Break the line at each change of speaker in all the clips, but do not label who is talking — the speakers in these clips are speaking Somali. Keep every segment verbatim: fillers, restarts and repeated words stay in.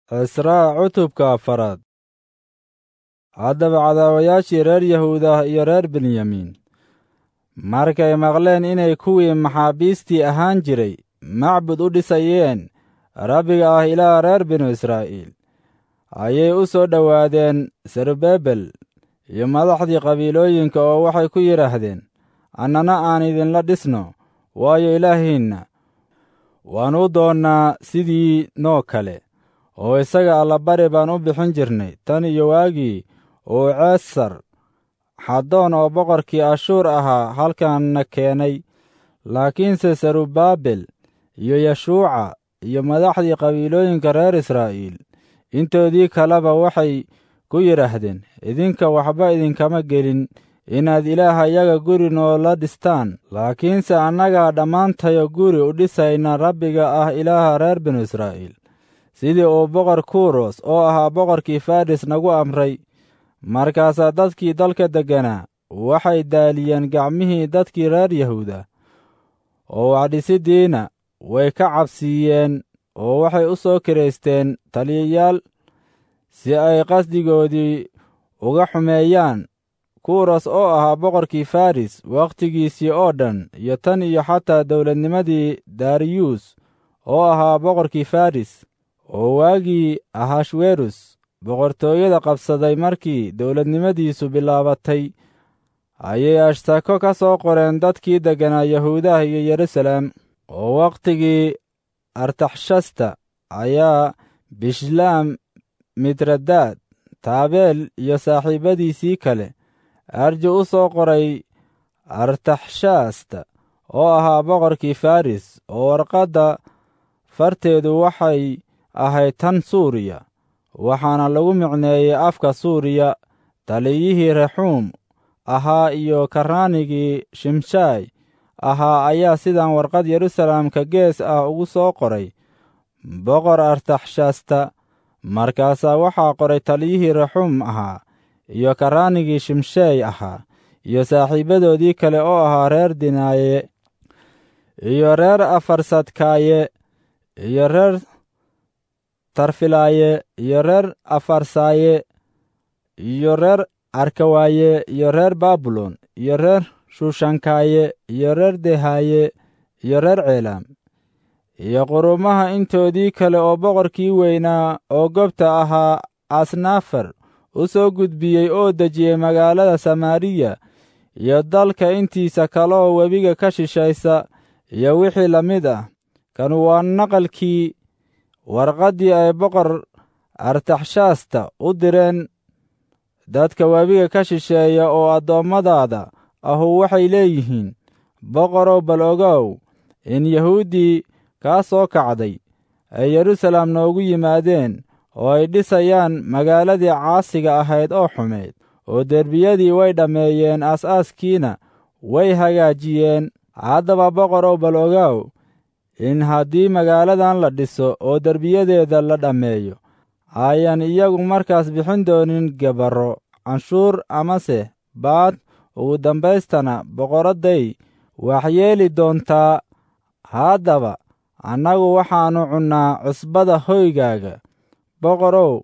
Cisraa cutubka afaraad. Haddaba cadaawayaashii reer Yahuudah iyo reer Benyamiin markay maqleen inay kuwii maxaabiistii ahaan jiray macbud u dhisayeen Rabbiga ah Ilaaha reer binu Israa'iil, ayay u soo dhowaadeen Serubabel iyo madaxdii qabiilooyinka oo waxay ku yidhaahdeen, annana aan idinla dhisno, waayo Ilaahiinna waannu doonnaa sidii noo kale, oo isaga allabari baan u bixin jirnay tan iyo waagii uu Ceesar xaddoon oo boqorkii Ashuur ahaa halkanna keenay. Laakiinse Serubabel iyo Yeshuuca iyo madaxdii qabiilooyinka reer Israa'iil intoodii kaleba waxay ku yidhaahdeen, idinka waxba idinkama gelin inaad Ilaahayaga guri noola dhistaan, laakiinse annagaa dhammaantayo guri u dhisayna Rabbiga ah Ilaaha reer binu Israa'iil, sidii uu boqor Kuros oo ahaa boqorkii Faris nagu amray. Markaasaa dadkii dalka degganaa waxay daaliyeen gacmihii dadkii reer Yahuuda, oo waxdhisiddiina way ka cabsiiyeen, oo waxay u soo kiraysteen taliyayaal si ay qasdigoodii uga xumeeyaan. Kuros oo ahaa boqorkii Faris wakhtigiisii oo dhan iyo tan iyo xataa dawladnimadii Dariyus oo ahaa boqorkii Faris, oo waagii Ahashwerus boqortooyada qabsaday markii dawladnimadiisu bilaabatay, ayay ashtako ka soo qoreen dadkii degganaa Yahuudaha iyo Yeruusaalem. Oo wakhtigii Artaxshasta ayaa Bishlaam, Mitradaad, Taabeel iyo saaxiibbadiisii kale arji u soo qoray Artaxshasta oo ahaa boqorkii Faris, oo warqadda farteedu waxay ahayd tan Suuriya, waxaana lagu micneeyey afka Suuriya. Taliyihii Rexuum ahaa iyo karraanigii Shimshaay ahaa ayaa sidan warqad Yeruusaalem ka gees ah ugu soo qoray boqor Artaxshasta. Markaasaa waxaa qoray taliyihii Rexuum ahaa iyo karraanigii Shimshaay ahaa iyo saaxiibbadoodii kale oo ahaa reer Dinaaye iyo reer Afarsadkaaye iyo reer Tarfilaaye iyo reer Afarsaaye iyo reer Arkawaaye iyo reer Baabilon iyo reer Shushankaaye iyo reer Dehaaye iyo reer Ceelaam iyo qurumaha intoodii kale oo boqorkii weynaa oo gobta ahaa Asnafar u soo gudbiyey oo dejiyey magaalada Samaariya iyo dalka intiisa kaleoo webiga ka shishaysa iyo wixii la mid ah. Kanu waa naqalkii warqaddii ay boqor Artaxshasta u direen dadka webiga ka shisheeya oo addoommadaada ahu waxay leeyihiin, boqorow, bal ogow in Yahuuddii kaa soo kacday ay Yeruusaalem noogu yimaadeen oo ay dhisayaan magaaladii caasiga ahayd oo xumayd, oo derbiyadii way dhammeeyeen, aas-aaskiina way hagaajiyeen. Haddaba boqorow, bal ogow in haddii magaaladan la dhiso oo derbiyadeeda la dhammeeyo, ayan iyagu markaas bixin doonin gabarro, canshuur amase baad. Ugu dambaystana boqoradday waxyeeli doontaa. Haddaba annagu waxaannu cunnaa cusbada hoygaaga, boqorow,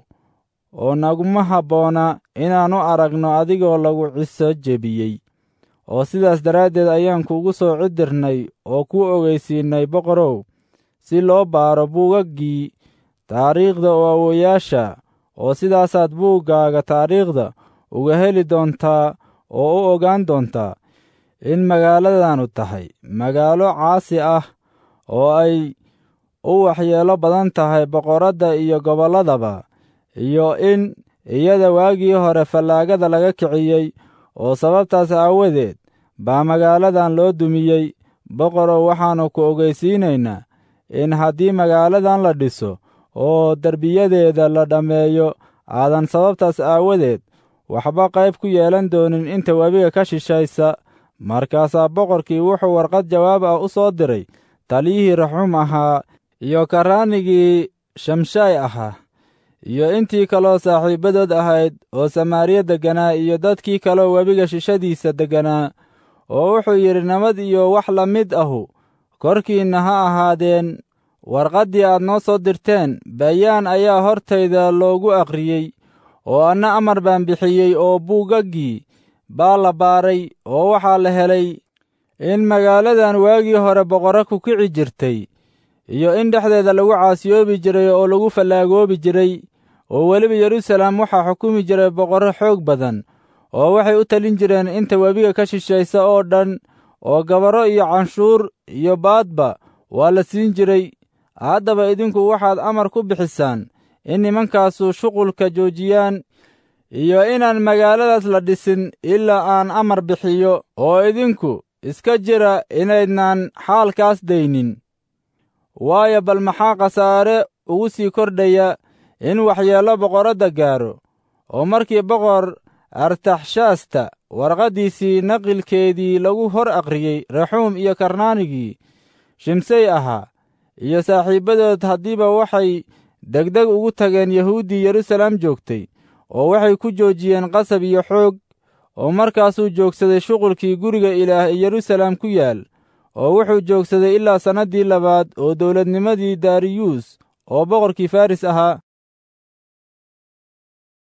oo naguma habboona inaannu aragno adigoo lagu ciso jebiyey. Oo sidaas daraaddeed ayaan kuugu soo cidirnay oo kuu ogeysiinay, boqorow, si loo baaro buugaggii taariikhda oo awowayaasha, oo sidaasaad buuggaaga taariikhda uga heli doontaa oo u ogaan doontaa in magaaladanu tahay magaalo caasi ah oo ay u waxyeelo badan tahay boqoradda iyo gobolladaba, iyo in iyada waagii hore fallaagada laga kiciyey, oo sababtaas aawadeed baa magaaladan loo dumiyey. Boqorow, waxaannu ku ogeysiinaynaa in haddii magaaladan la dhiso oo derbiyadeeda la dhammeeyo, aadan sababtaas aawadeed waxba qayb ku yeelan doonin inta webiga ka shishaysa. Markaasaa boqorkii wuxuu warqad jawaab ah u soo diray taliyihii Rexuum ahaa iyo karraanigii Shamshaay ahaa iyo intii kaloo saaxiibbadood ahayd oo Samaariya degganaa iyo dadkii kaloo webiga shishadiisa degganaa, oo wuxuu yidhi, nabad iyo wax la mid ahu korkiinna ha ahaadeen. Warqaddii aad noo soo dirteen bayaan ayaa hortayda loogu akhriyey, oo anna amar baan bixiyey, oo buugaggii baa la baaray, oo waxaa la helay in magaaladan waagii hore boqorro ku kici jirtay, iyo in dhexdeeda lagu caasiyoobi jiray oo lagu fallaagoobi jiray. Oo weliba Yeruusaalem waxaa xukumi jiray boqorro xoog badan, oo waxay u talin jireen inta webiga ka shishaysa oo dhan, oo gabarro iyo canshuur iyo baadba waa la siin jiray. Haddaba idinku waxaad amar ku bixisaan in nimankaasu shuqulka joojiyaan, iyo inaan magaaladaas la dhisin ilaa aan amar bixiyo, oo idinku iska jira inaydnaan xaalkaas daynin. Waayo, bal maxaa khasaare ugu sii kordhaya in waxyeello boqoradda gaaro? Oo markii Boqor Artaxshaasta warqaddiisii naqilkeedii lagu hor akhriyey Rexuum iyo Karnaanigii Shimsey ahaa iyo saaxiibbadood, haddiiba waxay degdeg ugu tageen Yahuuddii Yeruusaalem joogtay, oo waxay ku joojiyeen qasab iyo xoog. Oo markaasuu joogsaday shuqulkii guriga Ilaah ee Yeruusaalem ku yaal, oo wuxuu joogsaday ilaa sannaddii labaad oo dawladnimadii Dariyuus oo boqorkii Faris ahaa.